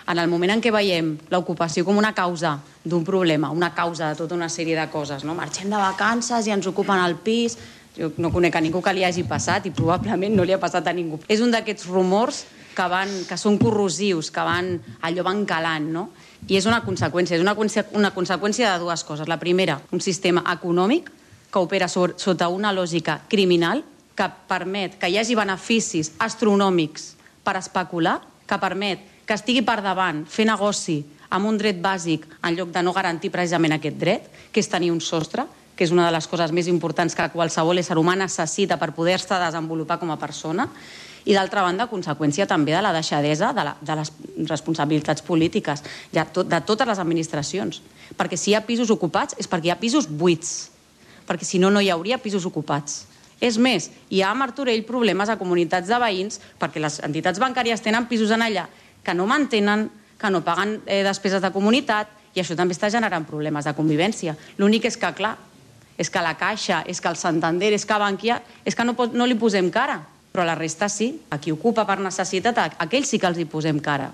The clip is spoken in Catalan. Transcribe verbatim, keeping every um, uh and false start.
En el moment en què veiem l'ocupació com una causa d'un problema, una causa de tota una sèrie de coses, no? Marxem de vacances i ens ocupen el pis. Jo no conec a ningú que li hagi passat i probablement no li ha passat a ningú. És un d'aquests rumors que, van, que són corrosius, que van, allò van calant, no? I és una conseqüència, és una, una conseqüència de dues coses. La primera, un sistema econòmic que opera sobre, sota una lògica criminal que permet que hi hagi beneficis astronòmics per especular, que permet que estigui per davant, fer negoci amb un dret bàsic en lloc de no garantir precisament aquest dret, que és tenir un sostre, que és una de les coses més importants que qualsevol ésser humà necessita per poder-se desenvolupar com a persona, i d'altra banda, conseqüència també de la deixadesa de, la, de les responsabilitats polítiques de, tot, de totes les administracions. Perquè si hi ha pisos ocupats és perquè hi ha pisos buits, perquè si no, no hi hauria pisos ocupats. És més, hi ha a Martorell problemes a comunitats de veïns perquè les entitats bancàries tenen pisos en allà que no mantenen, que no paguen eh, despeses de comunitat, i això també està generant problemes de convivència. L'únic és que, clar, és que la Caixa, és que el Santander, és que Bankia, és que no, no li posem cara, però la resta sí. A qui ocupa per necessitat, a aquells sí que els hi posem cara.